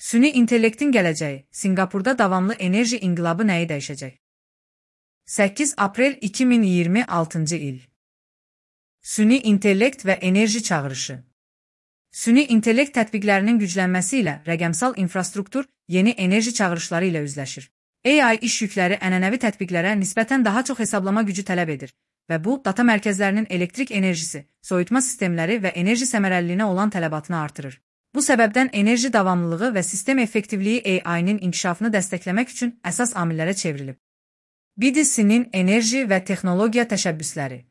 Süni intellektin gələcəyi, Singapurda davamlı enerji inqilabı nəyi dəyişəcək? 8 aprel 2026 il. Süni intellekt və enerji çağırışı. Süni intellekt tətbiqlərinin güclənməsi ilə rəqəmsal infrastruktur yeni enerji çağırışları ilə üzləşir. AI iş yükləri ənənəvi tətbiqlərə nisbətən daha çox hesablama gücü tələb edir və bu, data mərkəzlərinin elektrik enerjisi, soyutma sistemləri və enerji səmərəliliyinə olan tələbatını artırır. Bu səbəbdən enerji davamlılığı və sistem effektivliyi AI-nin inkişafını dəstəkləmək üçün əsas amillərə çevrilib. BDC-nin enerji və texnologiya təşəbbüsləri.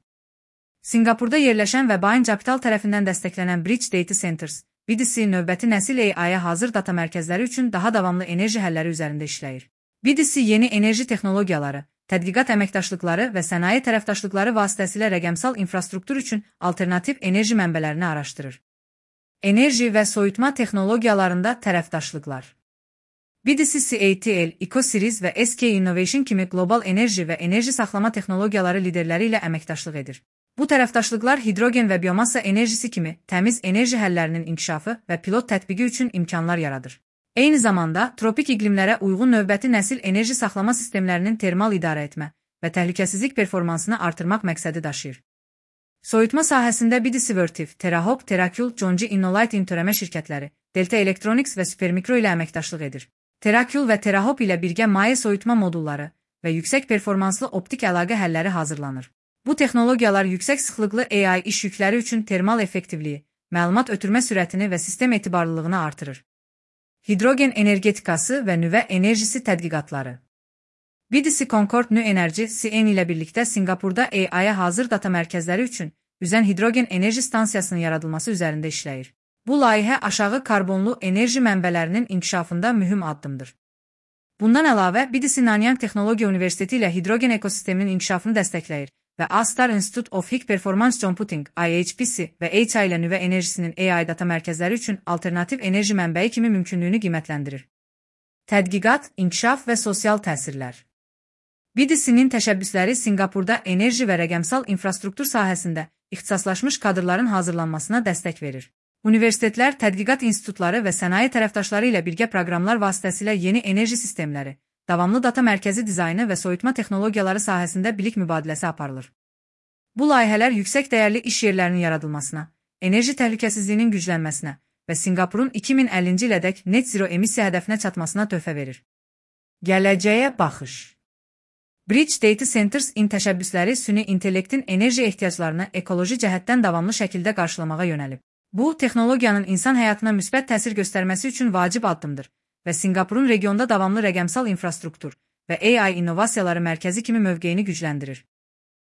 Singapurda yerləşən və Bain Capital tərəfindən dəstəklənən Bridge Data Centers, BDC növbəti nəsil AI-ya hazır data mərkəzləri üçün daha davamlı enerji həlləri üzərində işləyir. BDC yeni enerji texnologiyaları, tədqiqat əməkdaşlıqları və sənaye tərəfdaşlıqları vasitəsilə rəqəmsal infrastruktur üçün alternativ enerji mənbələrini araşdırır. Enerji və soyutma texnologiyalarında tərəfdaşlıqlar. BDC CATL, EcoSeries və SK Innovation kimi qlobal enerji və enerji saxlama texnologiyaları liderləri ilə əməkdaşlıq edir. Bu tərəfdaşlıqlar hidrogen və biomassa enerjisi kimi təmiz enerji həllərinin inkişafı və pilot tətbiqi üçün imkanlar yaradır. Eyni zamanda, tropik iqlimlərə uyğun növbəti nəsil enerji saxlama sistemlərinin termal idarə etmə və təhlükəsizlik performansını artırmaq məqsədi daşıyır. Soyutma sahəsində BDC Vertiv, TerraHop, TerraCool, Jonji Innolight törəmə şirkətləri, Delta Electronics və Supermicro ilə əməkdaşlıq edir. TerraCool və TerraHop ilə birgə maye soyutma modulları və yüksək performanslı optik əlaqə həlləri hazırlanır. Bu texnologiyalar yüksək sıxlıqlı AI iş yükləri üçün termal effektivliyi, məlumat ötürmə sürətini və sistem etibarlılığını artırır. Hidrogen energetikası və nüvə enerjisi tədqiqatları. BDC Concord New Energy CN ilə birlikdə Singapurda AI-ya hazır data mərkəzləri üçün üzən hidrogen enerji stansiyasının yaradılması üzərində işləyir. Bu layihə aşağı karbonlu enerji mənbələrinin inkişafında mühüm addımdır. Bundan əlavə, BDC Nanyang Texnologiya Universiteti ilə hidrogen ekosisteminin inkişafını dəstəkləyir və Astar Institute of High Performance Computing IHPC və HI ilə nüvə enerjisinin AI data mərkəzləri üçün alternativ enerji mənbəyi kimi mümkünlüyünü qiymətləndirir. Tədqiqat, inkişaf və sosial təsirlər. BDC-nin təşəbbüsləri Singapurda enerji və rəqəmsal infrastruktur sahəsində ixtisaslaşmış kadrların hazırlanmasına dəstək verir. Universitetlər, tədqiqat institutları və sənaye tərəfdaşları ilə birgə proqramlar vasitəsilə yeni enerji sistemləri, davamlı data mərkəzi dizaynı və soyutma texnologiyaları sahəsində bilik mübadiləsi aparılır. Bu layihələr yüksək dəyərli iş yerlərinin yaradılmasına, enerji təhlükəsizliyinin güclənməsinə və Singapurun 2050-ci ilədək net zero emissiya hədəfinə çatmasına töhfə verir. Gələcəyə baxış. Bridge Data Centers təşəbbüsləri süni intellektin enerji ehtiyaclarını ekoloji cəhətdən davamlı şəkildə qarşılamağa yönəlib. Bu, texnologiyanın insan həyatına müsbət təsir göstərməsi üçün vacib addımdır və Singapurun regionda davamlı rəqəmsal infrastruktur və AI innovasiyaları mərkəzi kimi mövqeyini gücləndirir.